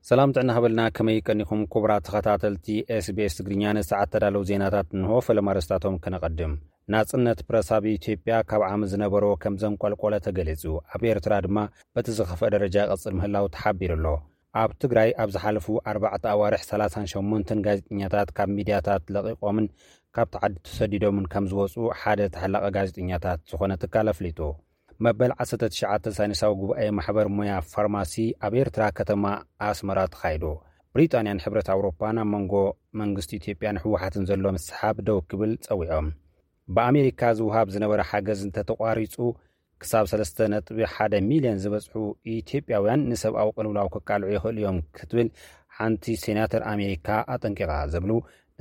ሰላም ጥዕና ሃበልና፣ ከመይ ቀኒኹም ክቡራት ተኸታተልቲ ኤስቢኤስ ትግርኛ? ንሰዓት ተዳለዉ ዜናታት እንሆ። ፈለማ ኣርእስታቶም ከነቐድም። ናጽነት ፕረስ ኣብ ኢትዮጵያ ካብ ዓሚ ዝነበሮ ከም ዘንቆልቆለ ተገሊጹ። ኣብ ኤርትራ ድማ በቲ ዝኸፍአ ደረጃ ይቐጽል ምህላው ተሓቢሩ ኣሎ። ኣብ ትግራይ ኣብ ዝሓለፉ ኣርባዕተ ኣዋርሕ ሰላሳን ሸሞንተን ጋዜጠኛታት ካብ ሚድያታት ለቒቖምን ካብቲ ዓዲ ተሰዲዶምን ከም ዝወጹ ሓደ ተሓላቒ ጋዜጠኛታት ዝኾነ ትካል ኣፍሊጡ። መበል ዓሰርተ ትሽዓተ ሳይንሳዊ ጉባኤ ማሕበር ሞያ ፋርማሲ ኣብ ኤርትራ ከተማ ኣስመራ ተኻይዱ። ብሪጣንያን ሕብረት ኣውሮፓን ኣብ መንጎ መንግስቲ ኢትዮጵያን ህወሓትን ዘሎ ምስሓብ ደው ክብል ጸዊዖም። ብኣሜሪካ ዝውሃብ ዝነበረ ሓገዝ እንተተቋሪጹ ክሳብ ሰለስተ ነጥቢ ሓደ ሚልዮን ዝበጽሑ ኢትዮጵያውያን ንሰብኣዊ ቅልውላው ክቃልዑ ይኽእሉ እዮም ክትብል ሓንቲ ሴናተር ኣሜሪካ ኣጠንቂቓ ዝብሉ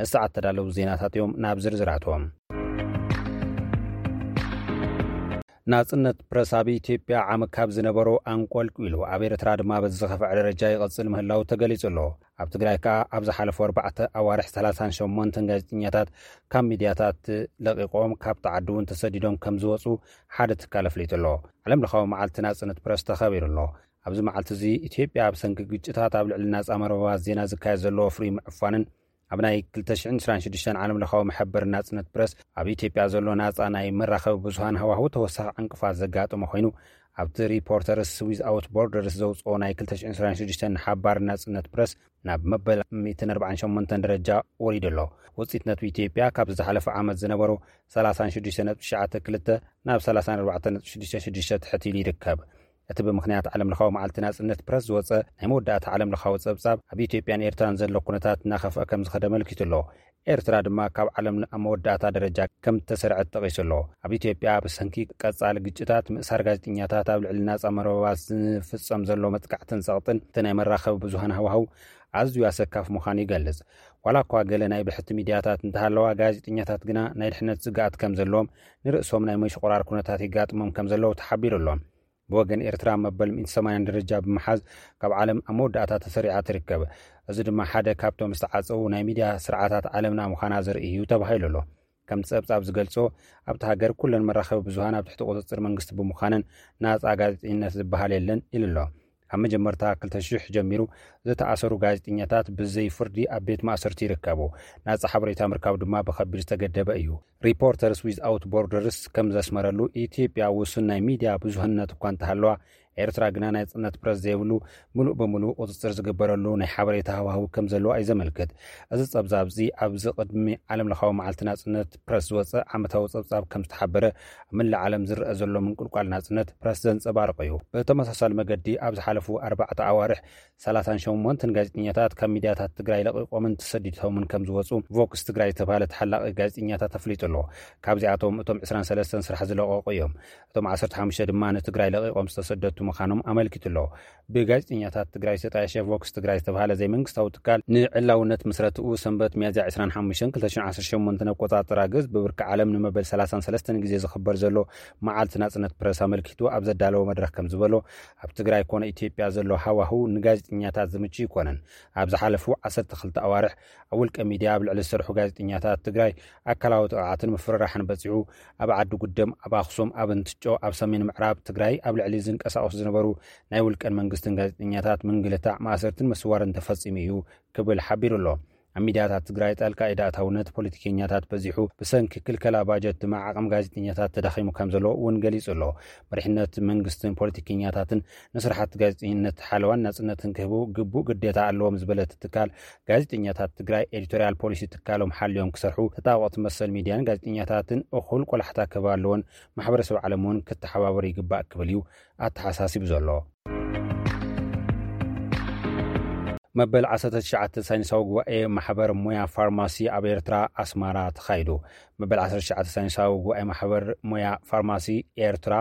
ንሰዓት ተዳለዉ ዜናታት እዮም። ናብ ዝርዝራቶም። ናጽነት ፕረስ ኣብ ኢትዮጵያ ዓሚ ካብ ዝነበሮ ኣንቆልቂሉ ኣብ ኤርትራ ድማ በዚ ዝኸፍዐ ደረጃ ይቐጽል ምህላው ተገሊጹ ኣሎ። ኣብ ትግራይ ከኣ ኣብ ዝሓለፉ ኣርባዕተ ኣዋርሕ ሰላሳን ሸሞንተን ጋዜጠኛታት ካብ ሚድያታት ለቒቖም ካብቲ ዓዲ እውን ተሰዲዶም ከም ዝወጹ ሓደ ትካል ኣፍሊጡ ኣሎ። ዓለም ለኻዊ መዓልቲ ናጽነት ፕረስ ተኸቢሩ ኣሎ። ኣብዚ መዓልቲ እዚ ኢትዮጵያ ኣብ ሰንኪ ግጭታት ኣብ ልዕሊ ናጻ መርበባት ዜና ዝካየድ ዘሎ ፍሪ ምዕፋንን ኣብ ናይ ክልተ ሽሕን ዕስራን ሽዱሽተን ዓለም ለኻዊ መሐበር ናጽነት ፕረስ ኣብ ኢትዮጵያ ዘሎ ናጻ ናይ መራኸቢ ብዙሃን ሃዋህው ተወሳኺ ዕንቅፋት ዘጋጠመ ኮይኑ ኣብቲ ሪፖርተርስ ዊዝኣውት ቦርደርስ ዘውፅኦ ናይ ክልተ ሽሕን ዕስራን ሽዱሽተን ሓባር ናጽነት ፕረስ ናብ መበል ሚእትን ኣርባዓን ሸሞንተን ደረጃ ወሪዱ ኣሎ። ውፅኢት ነቱ ኢትዮጵያ ካብ ዝሓለፈ ዓመት ዝነበሩ ሰላሳን ሽዱሽተ ነጥቢ ትሽዓተ ክልተ ናብ ሰላሳን ኣርባዕተ ነጥቢ ሽዱሽተ ሽዱሽተ ትሕት ኢሉ ይርከብ። እቲ ብምኽንያት ዓለም ለኻዊ መዓልቲ ናጽነት ፕረስ ዝወጸ ናይ መወዳእታ ዓለም ለኻዊ ጸብጻብ ኣብ ኢትዮጵያን ኤርትራን ዘሎ ኩነታት እናኸፍአ ከም ዝኸደ ኣመልኪቱ ኣሎ። ኤርትራ ድማ ካብ ዓለም ኣብ መወዳእታ ደረጃ ከም እተሰርዐት ጠቒሱ ኣሎ። ኣብ ኢትዮጵያ ብሰንኪ ቀጻሊ ግጭታት፣ ምእሳር ጋዜጠኛታት፣ ኣብ ልዕሊ ናጻ መርበባት ዝፍጸም ዘሎ መጥቃዕትን ጸቕጥን እቲ ናይ መራኸቢ ብዙሃን ሃዋህው ኣዝዩ ኣሰካፊ ምዃኑ ይገልጽ። ዋላ እኳ ገለ ናይ ብሕቲ ሚድያታት እንተሃለዋ፣ ጋዜጠኛታት ግና ናይ ድሕነት ስግኣት ከም ዘለዎም፣ ንርእሶም ናይ ምሽቑራር ኩነታት ይጋጥሞም ከም ዘለዉ ተሓቢሩ ኣሎ። ብወገን ኤርትራ መበል ሚእቲ ሰማንያን ደረጃ ብምሓዝ ካብ ዓለም ኣብ መወዳእታ ተሰሪዓ ትርከብ። እዚ ድማ ሓደ ካብቶም ዝተዓጸዉ ናይ ሚድያ ስርዓታት ዓለምና ምዃና ዘርኢ እዩ ተባሂሉ ኣሎ። ከምቲ ጸብጻብ ዝገልጾ፣ ኣብቲ ሃገር ኩለን መራኸቢ ብዙሃን ኣብ ትሕቲ ቁጽጽር መንግስቲ ብምዃነን ናጻ ጋዜጠኝነት ዝበሃል የለን ኢሉ ኣሎ። ካብ መጀመርታ ክልተ ሽሕ ጀሚሩ ዝተኣሰሩ ጋዜጠኛታት ብዘይ ፍርዲ ኣብ ቤት ማእሰርቲ ይርከቡ። ናጻ ሓበሬታ ምርካብ ድማ ብኸቢድ ዝተገደበ እዩ። ሪፖርተርስ ዊዝኣውት ቦርደርስ ከም ዘስመረሉ፣ ኢትዮጵያ ውሱን ናይ ሚድያ ብዙህነት እኳ እንተሃለዋ፣ ኤርትራ ግና ናይ ጽነት ፕረስ ዘይብሉ፣ ምሉእ ብምሉእ ቁጽጽር ዝግበረሉ ናይ ሓበሬታ ሃዋህው ከም ዘለዋ እዩ ዘመልክት። እዚ ጸብጻብ እዚ ኣብዚ ቅድሚ ዓለም ለኻዊ መዓልቲ ናጽነት ፕረስ ዝወጸ ዓመታዊ ጸብጻብ ከም ዝተሓበረ፣ ኣብ መላእ ዓለም ዝረአ ዘሎ ምንቁልቋል ናጽነት ፕረስ ዘንጸባርቕ እዩ። ብተመሳሳሊ መገዲ፣ ኣብ ዝሓለፉ ኣርባዕተ ኣዋርሕ ሰላሳን ሸሞንተን ጋዜጠኛታት ካብ ሚድያታት ትግራይ ለቒቖምን ተሰዲዶምን ከም ዝወጹ ቮክስ ትግራይ ዝተባህለ ተሓላቒ ጋዜጠኛታት ኣፍሊጡ ኣሎ። ካብዚኣቶም እቶም ዕስራን ሰለስተን ስራሕ ዝለቐቑ እዮም። እቶም ዓሰርተ ሓሙሽተ ድማ ንትግራይ ለቒቖም ዝተሰደቱ ምዃኖም ኣመልኪቱ ኣሎ። ብጋዜጠኛታት ትግራይ ዝተጣየሸ ቮክስ ትግራይ ዝተባህለ ዘይመንግስታዊ ትካል ንዕላውነት ምስረትኡ ሰንበት ሚያዝያ ዕስራን ሓሙሽተን ክልተ ሽሕን ዓሰርተ ሸሞንተን ኣቆጻጽራ ግእዝ ብብርኪ ዓለም ንመበል ሰላሳን ሰለስተን ግዜ ዝኽበር ዘሎ መዓልቲ ናጽነት ፕረስ ኣመልኪቱ ኣብ ዘዳለዎ መድረኽ ከም ዝበሎ፣ ኣብ ትግራይ ኮነ ኢትዮጵያ ዘሎ ሃዋህው ንጋዜጠኛታት ዝምቹ ኣይኮነን። ኣብ ዝሓለፉ ዓሰርተ ክልተ ኣዋርሕ ኣብ ውልቀ ሚድያ ኣብ ልዕሊ ዝሰርሑ ጋዜጠኛታት ትግራይ ኣካላዊ ጥቕዓትን ምፍርራሕን በፂሑ፣ ኣብ ዓዲ ጉደም፣ ኣብ ኣኽሱም፣ ኣብ እንትጮ፣ ኣብ ሰሜን ምዕራብ ትግራይ ኣብ ልዕሊ ዝንቀሳቐሱ ዝነበሩ ናይ ውልቀን መንግስትን ጋዜጠኛታት ምንግልታዕ፣ ማእሰርትን ምስዋርን ተፈፂሙ እዩ ክብል ሓቢሩ ኣሎ። ኣብ ሚድያታት ትግራይ ጣልቃ ኢድ ኣእታውነት ፖለቲከኛታት በዚሑ፣ ብሰንኪ ክልከላ ባጀት ድማ ዓቕሚ ጋዜጠኛታት ተዳኺሙ ከም ዘሎ እውን ገሊጹ ኣሎ። መሪሕነት መንግስትን ፖለቲከኛታትን ንስራሓት ጋዜጠኝነት ሓለዋን ናጽነትን ክህቡ ግቡእ ግዴታ ኣለዎም ዝበለ እቲ ትካል፣ ጋዜጠኛታት ትግራይ ኤዲቶርያል ፖሊሲ ትካሎም ሓልዮም ክሰርሑ፣ ተጣበቕቲ መሰል ሚድያን ጋዜጠኛታትን እኹል ቆላሕታ ክህባ ኣለዎን፣ ማሕበረሰብ ዓለም እውን ክተሓባበሩ ይግባእ ክብል እዩ ኣተሓሳሲቡ ዘሎ። መበል ዓሰርተ ትሽዓተ ሳይንሳዊ ጉባኤ ማሕበር ሞያ ፋርማሲ ኣብ ኤርትራ ኣስመራ ተኻይዱ። መበል ዓሰርተ ትሽዓተ ሳይንሳዊ ጉባኤ ማሕበር ሞያ ፋርማሲ ኤርትራ፣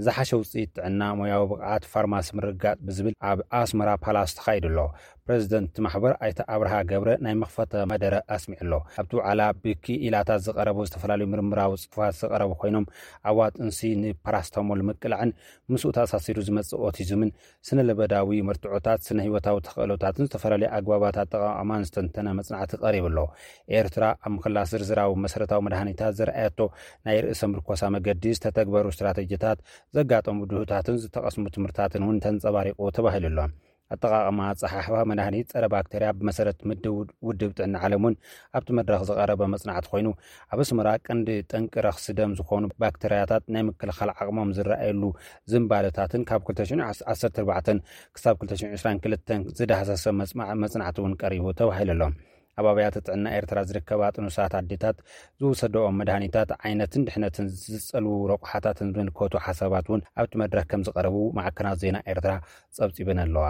ዝሓሸ ውጽኢት ጥዕና፣ ሞያዊ ብቕዓት ፋርማሲ ምርግጋጽ ብዝብል ኣብ ኣስመራ ፓላስ ተኻይዱ ኣሎ። ፕረዚደንት ማሕበር ኣይተ ኣብርሃ ገብረ ናይ መኽፈተ መደረ ኣስሚዑ ኣሎ። ኣብቲ ውዓላ ብክኢላታት ዝቐረቡ ዝተፈላለዩ ምርምራዊ ጽሑፋት ዝቐረቡ ኮይኖም፣ ኣዋ ጥንሲ ንፓራስታሞል ምቅላዕን ምስኡ ተኣሳሲሩ ዝመጽእ ኦቲዝምን ስነ ለበዳዊ መርትዖታት፣ ስነ ህይወታዊ ተኽእሎታትን ዝተፈላለዩ ኣግባባት ኣጠቓቕማን ዝተንተነ መጽናዕቲ ቀሪቡ ኣሎ። ኤርትራ ኣብ ምኽላስ ዝርዝራዊ መሰረታዊ መድሃኒታት ዘርኣየቶ ናይ ርእሰ ምርኮሳ መገዲ፣ ዝተተግበሩ ስትራተጂታት፣ ዘጋጠሙ ድሁታትን ዝተቐስሙ ትምህርታትን እውን ተንጸባሪቑ ተባሂሉ ኣሎ። ኣጠቓቕማ ኣጸሓሕባ መድሃኒት ጸረ ባክተርያ ብመሰረት ምድብ ውድብ ጥዕና ዓለም እውን ኣብቲ መድረኽ ዝቐረበ መጽናዕቲ ኮይኑ፣ ኣብ ኣስመራ ቀንዲ ጠንቂ ረኽሲ ደም ዝኾኑ ባክተርያታት ናይ ምክልኻል ዓቕሞም ዝረኣየሉ ዝንባለታትን ካብ ክልተ ሽሕን ዓሰርተ ኣርባዕተን ክሳብ ክልተ ሽሕን ዕስራን ክልተን ዝዳህሰሰ መጽናዕቲ እውን ቀሪቡ ተባሂሉ ኣሎ። ኣብ ኣብያተ ጥዕና ኤርትራ ዝርከባ ጥኑሳት ኣዴታት ዝወሰደኦም መድሃኒታት ዓይነትን ድሕነትን ዝጸልዉ ረቑሓታትን ዝምልከቱ ሓሳባት እውን ኣብቲ መድረኽ ከም ዝቐረቡ ማዕከናት ዜና ኤርትራ ጸብጺበን ኣለዋ።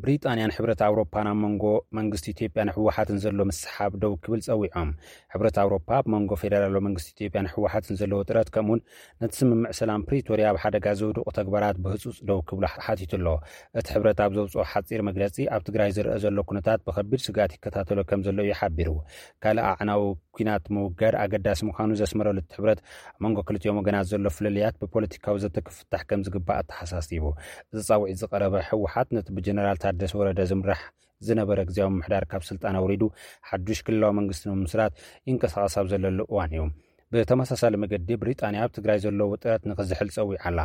ብሪጣንያን ሕብረት ኣውሮፓን ኣብ መንጎ መንግስቲ ኢትዮጵያን ህወሓትን ዘሎ ምስሓብ ደው ክብል ጸዊዖም። ሕብረት ኣውሮፓ ኣብ መንጎ ፌደራላዊ መንግስቲ ኢትዮጵያን ህወሓትን ዘለዎ ጥረት ከምኡውን ነቲ ስምምዕ ሰላም ፕሪቶርያ ኣብ ሓደጋ ዘውድቑ ተግባራት ብህጹጽ ደው ክብሉ ሓቲቱ ኣሎ። እቲ ሕብረት ኣብ ዘውፅኦ ሓፂር መግለፂ ኣብ ትግራይ ዝረአ ዘሎ ኩነታት ብከቢድ ስግኣት ይከታተሎ ከም ዘሎ እዩ ሓቢሩ። ካልእ ኣዕናዊ ኲናት ምውጋድ ኣገዳሲ ምዃኑ ዘስመረሉ እቲ ሕብረት ኣብ መንጎ ክልቲኦም ወገናት ዘሎ ፍልልያት ብፖለቲካዊ ዘተ ክፍታሕ ከም ዝግባእ ኣተሓሳሲቡ። እዚ ጻውዒት ዝቐረበ ህወሓት ነቲ ብጀነራል ታደሰ ወረደ ዝምራሕ ዝነበረ ግዜያዊ ምምሕዳር ካብ ስልጣን ኣውሪዱ ሓዱሽ ክልላዊ መንግስቲ ንምምስራት ይንቀሳቐስ ኣብ ዘለሉ እዋን እዩ። ብተመሳሳሊ መገዲ ብሪጣንያ ኣብ ትግራይ ዘለዎ ጥረት ንኽዝሕል ጸዊዓ ኣላ።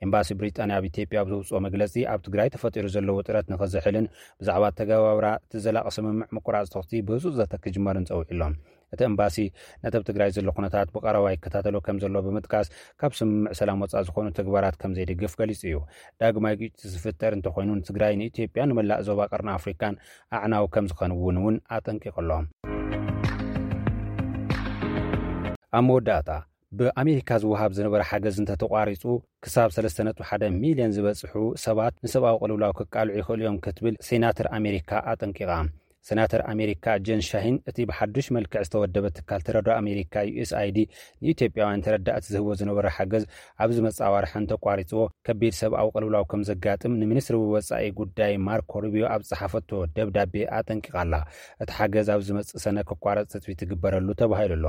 ኤምባሲ ብሪጣንያ ኣብ ኢትዮጵያ ኣብ ዘውፅኦ መግለፂ ኣብ ትግራይ ተፈጢሩ ዘለዎ ጥረት ንኽዝሕልን ብዛዕባ ኣተገባብራ እቲ ዘላቒ ስምምዕ ምቁራፅ ተኹሲ ብህፁፅ ዘተ ክጅመርን ጸዊዑ ኣሎ። እቲ ኤምባሲ ነቲ ኣብ ትግራይ ዘሎ ኩነታት ብቐረባ ይከታተሎ ከም ዘሎ ብምጥቃስ ካብ ስምምዕ ሰላም ወፃእ ዝኾኑ ተግባራት ከም ዘይድግፍ ገሊጹ እዩ። ዳግማይ ግጭት ዝፍጠር እንተኾይኑ ንትግራይ ንኢትዮጵያ ንመላእ ዞባ ቀርኒ ኣፍሪካን ኣዕናዊ ከም ዝኾንውን እውን ኣጠንቂቑ ኣሎ። ኣብ መወዳእታ ብኣሜሪካ ዝወሃብ ዝነበረ ሓገዝ እንተተቋሪፁ ክሳብ ሰለስተ ነጥቢ ሓደ ሚልዮን ዝበፅሑ ሰባት ንሰብኣዊ ቅልውላው ክቃልዑ ይኽእሉ እዮም ክትብል ሴናተር ኣሜሪካ ኣጠንቂቓ። ሴናተር ኣሜሪካ ጀን ሻሂን እቲ ብሓዱሽ መልክዕ ዝተወደበ ትካል ተረድኦ ኣሜሪካ ዩኤስኣይዲ ንኢትዮጵያውያን ተረዳእቲ ዝህቦ ዝነበረ ሓገዝ ኣብ ዝመፅእ ኣዋርሐን ተቋሪፅዎ ከቢድ ሰብኣዊ ቅልውላው ከም ዘጋጥም ንሚኒስትሪ ወፃኢ ጉዳይ ማርኮ ሩቢዮ ኣብ ዝፀሓፈቶ ደብዳቤ ኣጠንቂቓ ኣላ። እቲ ሓገዝ ኣብ ዝመፅእ ሰነ ክቋረፅ ትፅቢት ይግበረሉ ተባሂሉ ኣሎ።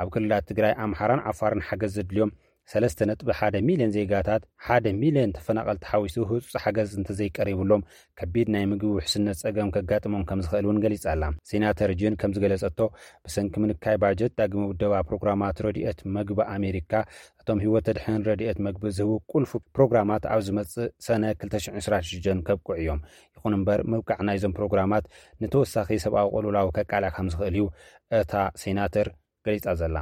ኣብ ክልላት ትግራይ፣ ኣምሓራን ዓፋርን ሓገዝ ዘድልዮም ሰለስተ ነጥቢ ሓደ ሚልዮን ዜጋታት ሓደ ሚልዮን ተፈናቐልቲ ሓዊሱ ህፁፅ ሓገዝ እንተዘይቀሪብሎም ከቢድ ናይ ምግቢ ውሕስነት ጸገም ከጋጥሞም ከም ዝኽእል እውን ገሊጻ ኣላ። ሴናተር ጅን ከም ዝገለጸቶ ብሰንኪ ምንካይ ባጀት ዳግመ ውደባ ፕሮግራማት ረድኤት መግቢ ኣሜሪካ እቶም ህይወት ተድሕን ረድኤት መግቢ ዝህቡ ቁልፉ ፕሮግራማት ኣብ ዝመጽእ ሰነ ክልተ ሽሕን ዕስራን ሽዱሽተን ከብቅዑ እዮም። ይኹን እምበር ምብቃዕ ናይዞም ፕሮግራማት ንተወሳኺ ሰብኣዊ ቅልውላው ከቃልዕ ከም ዝኽእል እዩ እታ ሴናተር ገሊጻ ዘላ።